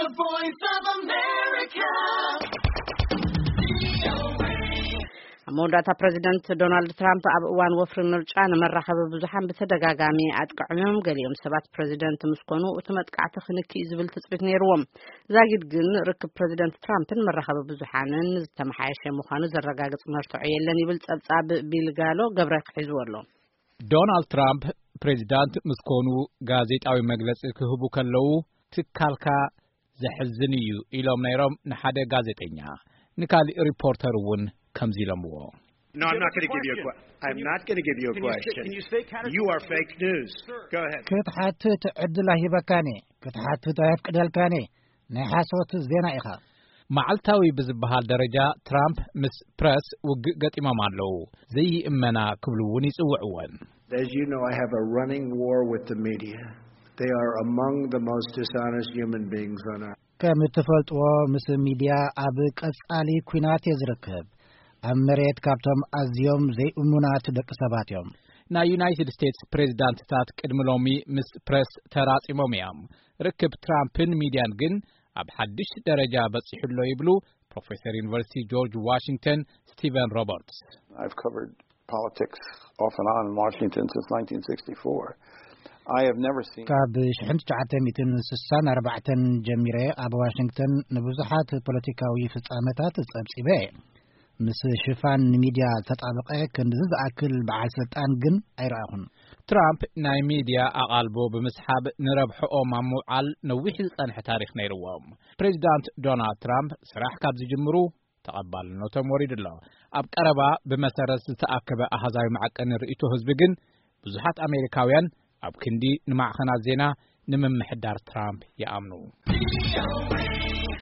The Voice of America. ኣብ መወዳእታ፣ ፕረዚደንት ዶናልድ ትራምፕ ኣብ እዋን ወፍሪ ምርጫ ንመራኸቢ ብዙሓን ብተደጋጋሚ ኣጥቅዖም እዮም። ገሊኦም ሰባት፣ ፕረዚደንት ምስ ኮኑ እቲ መጥቃዕቲ ክንኪ እዩ ዝብል ትጽቢት ነይርዎም። ዛጊድ ግን፣ ርክብ ፕረዚደንት ትራምፕን መራኸቢ ብዙሓንን ዝተመሓየሸ ምዃኑ ዘረጋግጽ መርትዖ የለን ይብል ጸብጻብ ቢል ጋሎ ገብረ ክሒዝዎ ኣሎ። ዶናልድ ትራምፕ ፕሬዚዳንት ምስ ኮኑ ጋዜጣዊ መግለጺ ክህቡ ከለዉ፣ ትካልካ ዘሕዝን እዩ ኢሎም ነይሮም ንሓደ ጋዜጠኛ። ንካሊእ ሪፖርተር እውን ከምዚ ኢሎምዎ። No, I'm not going to give you a que- I'm not going to give you a Can you say- question. Can you say kind of- You are fake news. Go ahead. ክትሓትት ዕድል ኣይህበካን እየ። ክትሓትት ኣየፍቅደልካን እየ። ናይ ሓሶት ዜና ኢኻ። መዓልታዊ ብዝበሃል ደረጃ፣ ትራምፕ ምስ ፕረስ ውግእ ገጢሞም ኣለዉ። ዘይእመና ክብሉ እውን ይጽውዕወን። As you know, I have a running war with the media. They are among the most dishonest human beings on earth. ከም እትፈልጥዎ፣ ምስ ሚድያ ኣብ ቀጻሊ ኲናት እየ ዝርከብ። ኣብ መሬት ካብቶም ኣዝዮም ዘይእሙናት ደቂ ሰባት እዮም። ናይ ዩናይትድ ስቴትስ ፕሬዚዳንትታት ቅድሚ ሎሚ ምስ ፕረስ ተራጺሞም እዮም። ርክብ ትራምፕን ሚድያን ግን ኣብ ሓድሽ ደረጃ በጺሑ ኣሎ ይብሉ ፕሮፌሰር ዩኒቨርሲቲ ጆርጅ ዋሽንግተን ስቲቨን ሮበርትስ። I've covered politics off and on in Washington since nineteen sixty-four. I have never seen ካብ ሽሕን ትሽዓተ ሚእትን ስሳን ኣርባዕተን ጀሚረ ኣብ ዋሽንግተን ንብዙሓት ፖለቲካዊ ፍጻመታት ጸብጺበ እየ። ምስ ሽፋን ንሚድያ ዝተጣበቐ ክንድዚ ዝኣክል በዓል ስልጣን ግን ኣይረኣኹን። ትራምፕ ናይ ሚድያ ኣቓልቦ ብምስሓብ ንረብሕኦም ኣብ ምውዓል ነዊሕ ዝጸንሐ ታሪኽ ነይርዎም። ፕሬዚዳንት ዶናልድ ትራምፕ ስራሕ ካብ ዝጅምሩ ተቐባልነቶም ወሪዱ ኣሎ። ኣብ ቀረባ ብመሰረት ዝተኣከበ ኣሃዛዊ መዐቀኒ ርእይቶ ህዝቢ ግን፣ ብዙሓት ኣሜሪካውያን ኣብ ክንዲ ንማዕኸናት ዜና ንምምሕዳር ትራምፕ ይኣምኑ።